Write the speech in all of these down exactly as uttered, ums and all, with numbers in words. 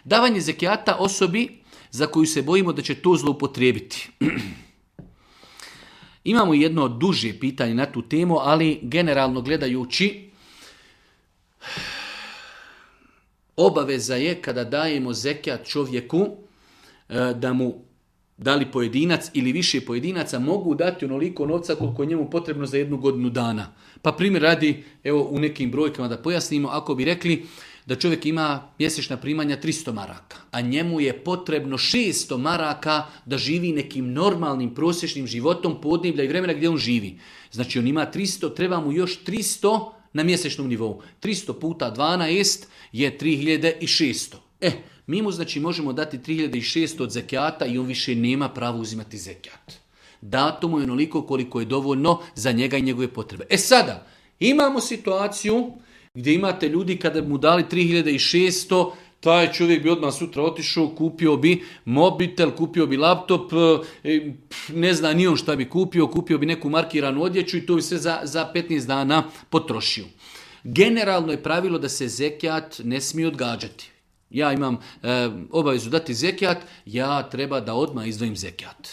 Davanje zekijata osobi za koju se bojimo da će to zloupotrijebiti. Imamo jedno duže pitanje na tu temu, ali generalno gledajući, obaveza je kada dajemo zekijat čovjeku da mu, da li pojedinac ili više pojedinaca, mogu dati onoliko novca koliko je njemu potrebno za jednu godinu dana. Pa primjer radi, evo u nekim brojkama da pojasnimo, ako bi rekli da čovjek ima mjesečna primanja tristo maraka, a njemu je potrebno šesto maraka da živi nekim normalnim prosječnim životom podneblja i vremena gdje on živi. Znači on ima tristo, treba mu još tristo na mjesečnom nivou. tristo puta dvanaest je tri hiljade šesto. E, mi mu znači možemo dati tri hiljade šesto od zekijata i on više nema pravo uzimati zekijat. Dato mu je onoliko koliko je dovoljno za njega i njegove potrebe. E sada, imamo situaciju gdje imate ljudi kada mu dali tri hiljade šesto, taj čovjek bi odmah sutra otišao, kupio bi mobitel, kupio bi laptop, ne zna ni on šta bi kupio, kupio bi neku markiranu odjeću i to bi sve za, za petnaest dana potrošio. Generalno je pravilo da se zekijat ne smije odgađati. Ja imam e, obavezu dati zekijat, ja treba da odmah izdvojim zekijat.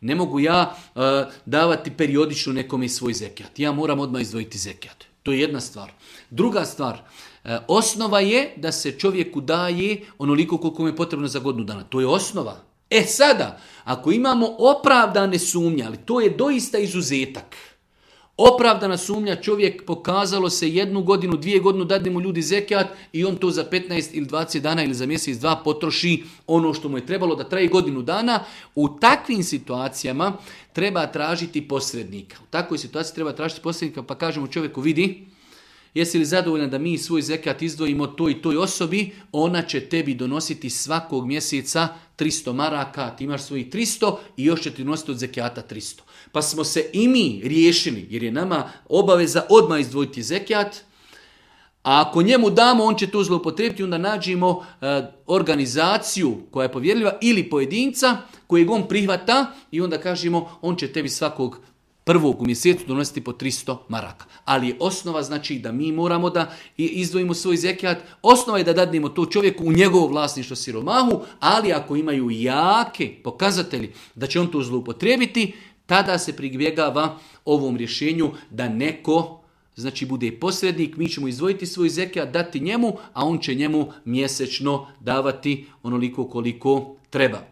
Ne mogu ja e, davati periodično nekome svoj zekijat. Ja moram odmah izdvojiti zekijat. To je jedna stvar. Druga stvar, e, osnova je da se čovjeku daje onoliko koliko mu je potrebno za godinu dana. To je osnova. E sada, ako imamo opravdane sumnje, ali to je doista izuzetak. Opravdana sumnja, čovjek pokazalo se jednu godinu, dvije godinu, dadne mu ljudi zekijat i on to za petnaest ili dvadeset dana ili za mjesec dva potroši ono što mu je trebalo da traje godinu dana. U takvim situacijama treba tražiti posrednika. U takvoj situaciji treba tražiti posrednika pa kažemo čovjeku, vidi, jesi li zadovoljan da mi svoj zekijat izdvojimo toj i toj osobi, ona će tebi donositi svakog mjeseca tristo maraka, ti imaš svojih tristo i još će ti donositi od zekijata tristo. Pa smo se i mi riješili, jer je nama obaveza odmah izdvojiti zekijat, a ako njemu damo, on će to zloupotrijebiti, onda nađemo e, organizaciju koja je povjerljiva ili pojedinca kojeg on prihvata i onda kažemo on će tebi svakog prvog u mjesecu donositi po tristo maraka. Ali je osnova znači da mi moramo da izdvojimo svoj zekijat. Osnova je da dadnemo to čovjeku u njegovo vlasništvo siromahu, ali ako imaju jake pokazatelji da će on to zloupotrijebiti, tada se pribjegava ovom rješenju da neko znači bude posrednik, mi ćemo izdvojiti svoj zekijat, dati njemu, a on će njemu mjesečno davati onoliko koliko treba.